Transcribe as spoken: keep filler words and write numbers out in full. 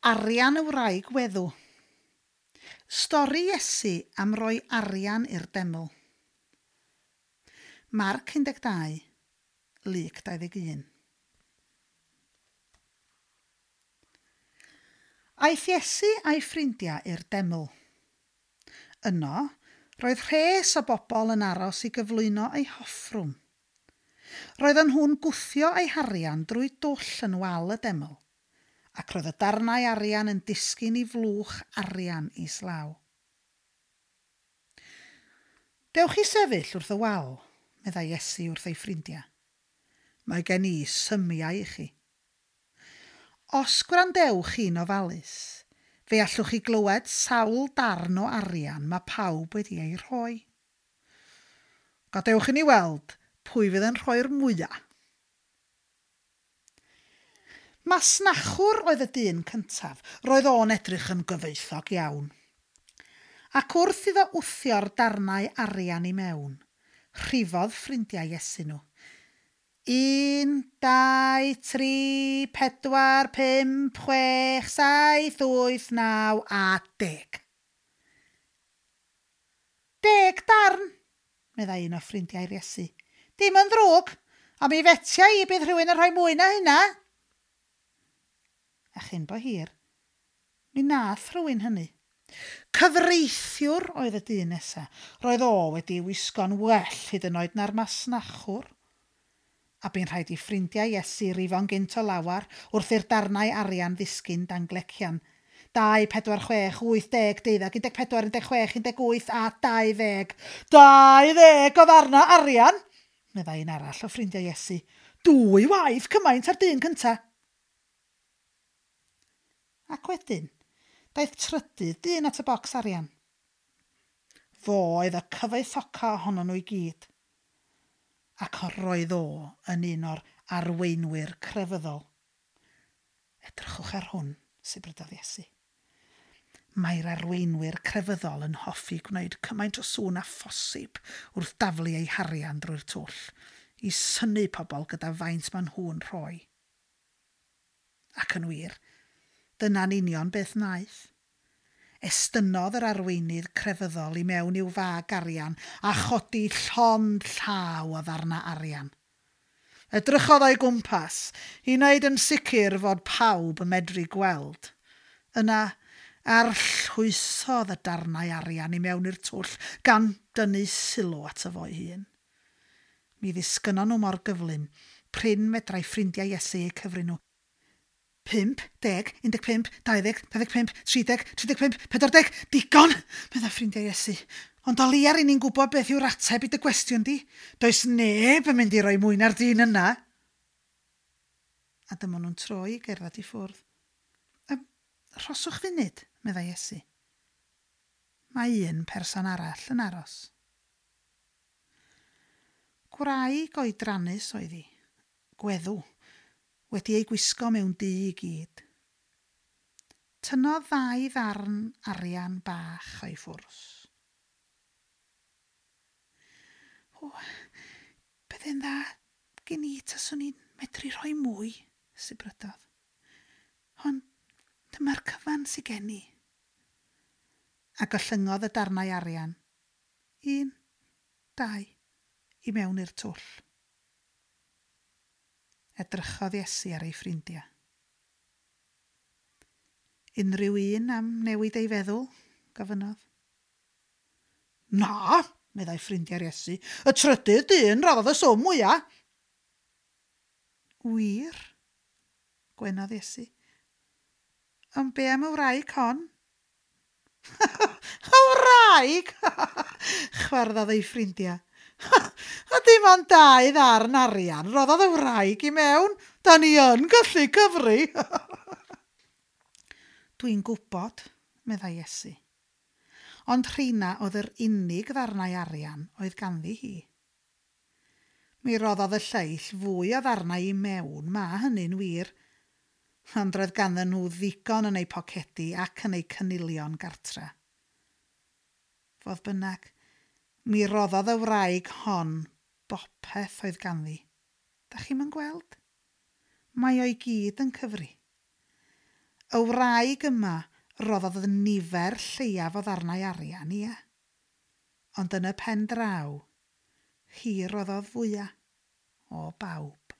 Arian y wraig weddw. Stori Iesu am roi arian i'r deml. Marc un deg dau, Luc dau ddeg un. Aeth Iesu a'i ffrindiau i'r deml. Yno, roedd rhes o bobl yn aros i gyflwyno eu hoffrwm. Roedden nhw'n gwthio eu harian drwy dwll yn wal y deml, ac roedd y darnau arian yn disgyn i flwch arian islaw. Dewch i sefyll wrth y wal, meddai Iesu wrth ei ffrindiau. Mae gen i symiau i chi. Os gwrandewch chi'n ofalus, fe allwch chi glywed sawl darn o arian mae pawb wedi ei rhoi. Gadewch i ni weld pwy fydd yn rhoi'r mwyaf. Masnachwr oedd y dyn cyntaf, roedd o'n edrych yn gyfoethog iawn. Ac wrth iddo wthio'r darnau arian i mewn, rhifodd ffrindiau Iesu nhw. Un, dau, tri, pedwar, pump, chwech, saith, wyth, naw a deg. Deg darn, meddai un o ffrindiau'r Iesu. Dim yn ddrwg, a mi fetia i bydd rhywun yn rhoi mwy na hynna. A chyn bo hir, mi nath rhywun hynny. Cyfreithiwr oedd y dyn nesa. Roedd o wedi wisgo'n well hyd yn oed na'r masnachwr. A bu'n rhaid i ffrindiau Iesu rifo'n gynt o lawar wrth i'r darnau arian ddisgyn dan glecian. Dau, pedwar, chwech, wyth, deg, deuddeg, un deg pedwar, un deg chwech, un deg wyth a dau ddeg. Dau ddeg o ddarnau arian, meddai un arall o ffrindiau Iesu. Dwy waith cymaint ar dyn cynta. Ac wedyn, daeth trydydd dyn at y bocs arian. Fo oedd y cyfoethoca ohonon nhw i gyd. Ac roedd o yn un o'r arweinwyr crefyddol. Edrychwch ar hwn, sibrydodd Iesu. Mae'r arweinwyr crefyddol yn hoffi gwneud cymaint o sŵn â phosib wrth daflu eu harian drwy'r twll, i synnu pobl gyda faint maen nhw'n rhoi. Ac yn wir, dyna'n union beth wnaeth. Estynnodd yr arweinydd crefyddol i mewn i'w fag arian a chodi llond llaw o ddarna arian. Edrychodd o'i gwmpas i wneud yn sicr fod pawb yn medru gweld. Yna, arllwysodd y darnau arian i mewn i'r twll gan dynnu sylw ato fo'i hun. Mi ddisgynnon nhw mor gyflym, prin medrai ffrindiau Iesu eu cyfri nhw. Pump, deg, un deg pump, dau ddeg, dau ddeg pump, tri deg, tri deg pump, pedwar deg, digon, meddai ffrindiau Iesu. Ond o leia ry'n ni'n gwybod beth yw'r ateb i dy gwestiwn di. Does neb yn mynd i roi mwy na'r dyn yna. A dyma nhw'n troi i gerdded i ffwrdd. Ym, rhoswch funud, meddai Iesu. Mae un person arall yn aros. Gwraig oedrannus oedd hi, gweddw, wedi ei gwisgo mewn du i gyd. Tynnodd ddau ddarn arian bach o'i ffwrs. O, bydde'n dda gen i taswn i'n medru rhoi mwy, sibrydodd. Ond dyma'r cyfan sy gen i. A gollyngodd y darnau arian. Un, dau, i mewn i'r twll. Edrychodd Iesu ar ei ffrindiau. Unrhyw un am newid ei feddwl, gofynnodd. Na, meddai ffrindiau'r Iesu, y trydydd dyn roddodd y swm mwyaf. Wir, gwenodd Iesu. Ond be am y wraig hon? Y wraig! Chwarddodd ei ffrindiau. A dim ond dau ddarn arian roddodd y wraig i mewn. Da ni yn gallu cyfri. Dwi'n gwybod, meddai Iesu. Ond rheina oedd yr unig ddarnau arian oedd ganddi hi. Mi roddodd y lleill fwy o ddarnau i mewn, ma hynny'n wir. Ond roedd ganddyn nhw ddigon yn eu pocedi ac yn eu cynilion gartre. Fodd bynnag, mi roddodd y wraig hon bopeth oedd ganddi. Da chi'm yn gweld? Mae o'i gyd yn cyfri. Y wraig yma roddodd nifer lleiaf o ddarnau arian, ia. Ond yn y pen draw, hi roddodd fwyaf o bawb.